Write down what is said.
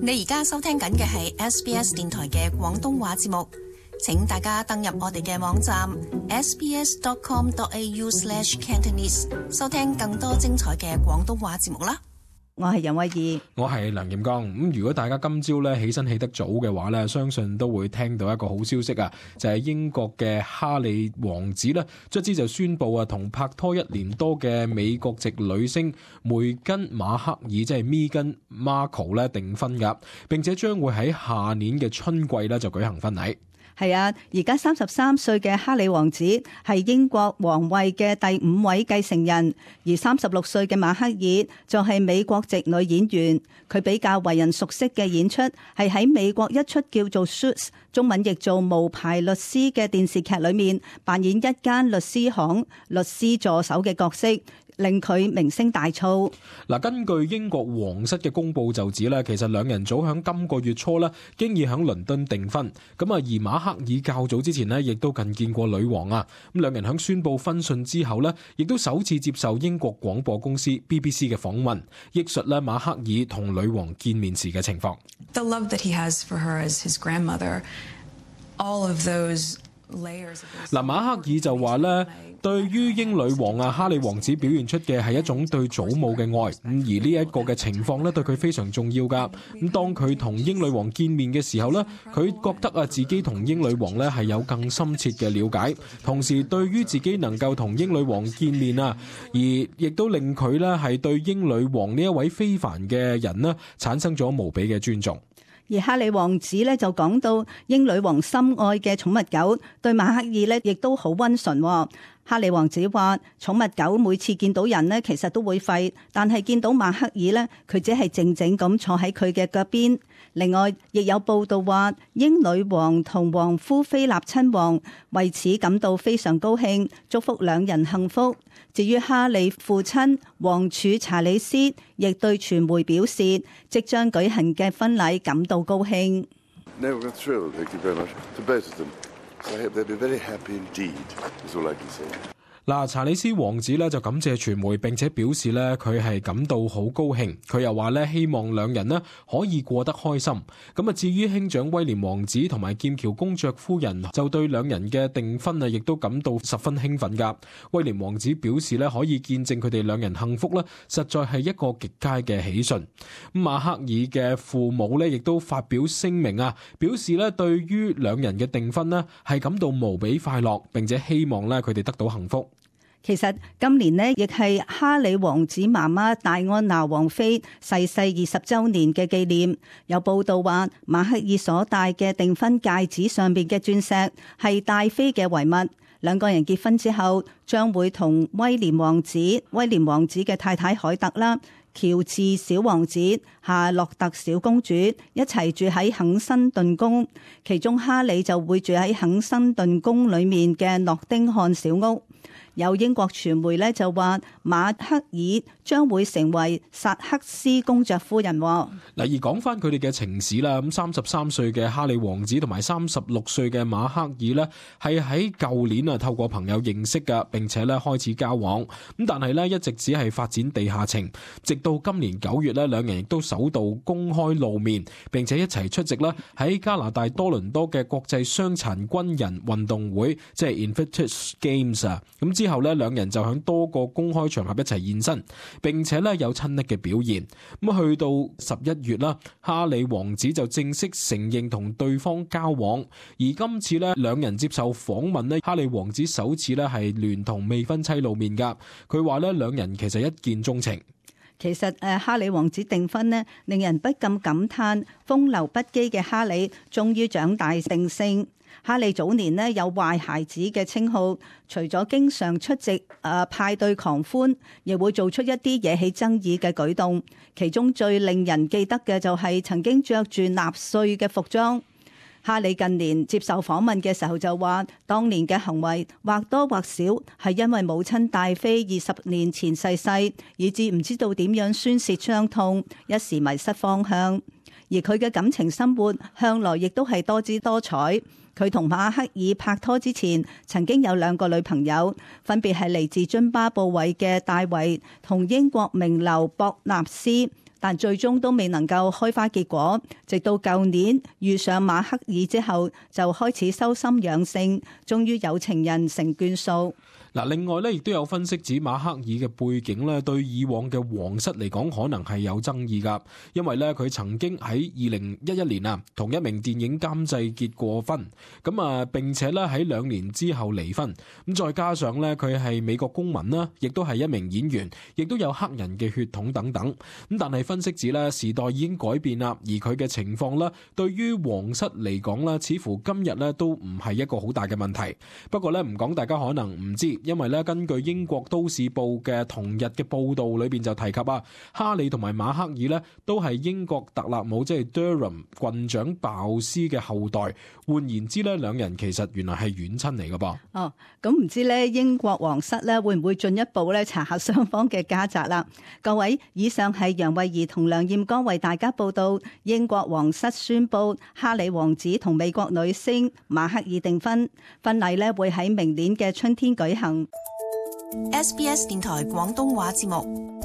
你而家收聽緊嘅係 SBS 電台嘅廣東話節目，請大家登入我哋嘅網站 sbs.com.au/cantonese 收聽更多精彩嘅廣東話節目啦。我係楊慧儀，我係梁劍剛。如果大家今朝咧起身起得早嘅話咧，相信都會聽到一個好消息啊，就係英國嘅哈里王子咧，卒之就宣布啊，同拍拖1年多嘅美國籍女星梅根馬克爾，即係 Meghan Markle 咧訂婚噶，並且將會喺下年嘅春季咧就舉行婚禮。係啊，而家33歲嘅哈里王子係英國皇位嘅第5位繼承人，而36歲嘅馬克爾就係美國籍女演員。佢比較為人熟悉嘅演出係喺美國一出叫做 Suits， 中文譯做無牌律師嘅電視劇裏面扮演一間律師行律師助手嘅角色，令佢名聲大噪。嗱，根據英國皇室嘅公佈就指咧，其實兩人早喺今個月初咧，經已喺倫敦訂婚。咁啊，而馬克爾較早之前咧，亦都近見過女王啊。咁兩人喺宣佈婚訊之後咧，亦都首次接受英國廣播公司 BBC 嘅訪問，憶述咧馬克爾同女王見面時嘅情況。The love that he has for her as his grandmother, all of those layers. 嗱，馬克爾就話咧，對於英女王啊哈里王子表現出嘅係一種對祖母嘅愛，而呢一個嘅情況咧對佢非常重要噶。咁當佢同英女王見面嘅時候咧，佢覺得啊自己同英女王咧係有更深切嘅了解，同時對於自己能夠同英女王見面啊，而亦都令佢咧係對英女王呢一位非凡嘅人呢產生咗無比嘅尊重。而哈里王子咧就講到英女王心愛嘅寵物狗對馬克爾咧亦都好溫順。哈里王子話寵物狗每次見到人呢其實都會吠，但係見到馬克爾呢，佢只係靜靜咁坐喺佢嘅腳邊。另外亦有報道話英女王同王夫菲臘親王為此感到非常高興，祝福兩人幸福。至於哈里父親王儲查理斯亦對傳媒表示，即將舉行嘅婚禮感到高興。嗱，查理斯王子咧就感謝傳媒，並且表示咧佢係感到好高興。佢又話咧希望兩人呢可以過得開心。咁啊，至於兄長威廉王子同埋劍橋公爵夫人就對兩人嘅訂婚啊，亦都感到十分興奮噶。威廉王子表示咧可以見證佢哋兩人幸福咧，實在係一個極佳嘅喜訊。馬克爾嘅父母咧亦都發表聲明啊，表示咧對於兩人嘅訂婚呢係感到無比快樂，並且希望咧佢哋得到幸福。其實今年呢，亦係哈里王子媽媽戴安娜王妃逝世20週年嘅紀念。有報道話，馬克爾所戴嘅訂婚戒指上邊嘅鑽石係戴妃嘅遺物。兩個人結婚之後，將會同威廉王子嘅太太凱特啦、喬治小王子、夏洛特小公主一齊住喺肯辛頓宮，其中哈里就會住喺肯辛頓宮裏面嘅諾丁漢小屋。有英國傳媒咧就話馬克爾將會成為薩克斯公爵夫人。嗱，而講翻佢哋嘅情史啦，咁33歲嘅哈里王子同埋36歲嘅馬克爾呢，係喺舊年啊透過朋友認識噶，並且咧開始交往。咁但係咧一直只係發展地下情，直到今年9月咧，兩人亦都首度公開露面，並且一齊出席啦喺加拿大多倫多嘅國際傷殘軍人運動會，即係 Invictus Games 啊。咁之後咧，兩人就喺多個公開場合一齊現身，並且咧有親昵嘅表現。咁去到11月啦，哈里王子就正式承認同對方交往。而今次咧，兩人接受訪問咧，哈里王子首次咧係聯同未婚妻露面噶。佢話咧，兩人其實一見鍾情。其實哈里王子訂婚呢，令人不禁感嘆風流不羈嘅哈里終於長大成性。哈里早年呢有壞孩子嘅稱號，除咗經常出席派對狂歡，亦會做出一啲惹起爭議嘅舉動。其中最令人記得嘅就係曾經着住納粹嘅服裝。哈里近年接受訪問嘅時候就話，當年嘅行為或多或少係因為母親戴妃20年前逝世，以致唔知道點樣宣泄傷痛，一時迷失方向。而佢嘅感情生活向來亦都係多姿多彩。佢同馬克爾拍拖之前，曾經有2個女朋友，分別係嚟自津巴布韋嘅戴維同英國名流博納斯。但最終都未能夠開花結果。直到舊年遇上馬克爾之後，就開始修心養性，終於有情人成眷屬。嗱，另外咧，亦都有分析指馬克爾嘅背景咧，對以往嘅皇室嚟講，可能係有爭議噶，因為咧佢曾經喺2011年啊，同一名電影監製結過婚，並且咧喺2年之後離婚，咁再加上咧佢係美國公民啦，亦都係一名演員，亦都有黑人嘅血統等等，咁但係分析指咧時代已經改變啦，而佢嘅情況咧，對於皇室嚟講咧，似乎今日咧都唔係一個好大嘅問題。不過咧唔講，大家可能唔知。因為咧，根據英國都市報嘅同日嘅報道裏邊就提及啊，哈里同埋馬克爾咧都係英國特勒姆即係 Durham 郡長鮑斯嘅後代。換言之咧，兩人其實原來係遠親嚟㗎噃。哦，咁唔知咧英國皇室咧會唔會進一步咧查下雙方嘅家宅啦？各位，以上係楊慧儀同梁艷剛為大家報道。英國皇室宣布哈里王子同美國女星馬克爾訂婚，婚禮咧會喺明年嘅春天舉行。SBS 電台廣東話節目。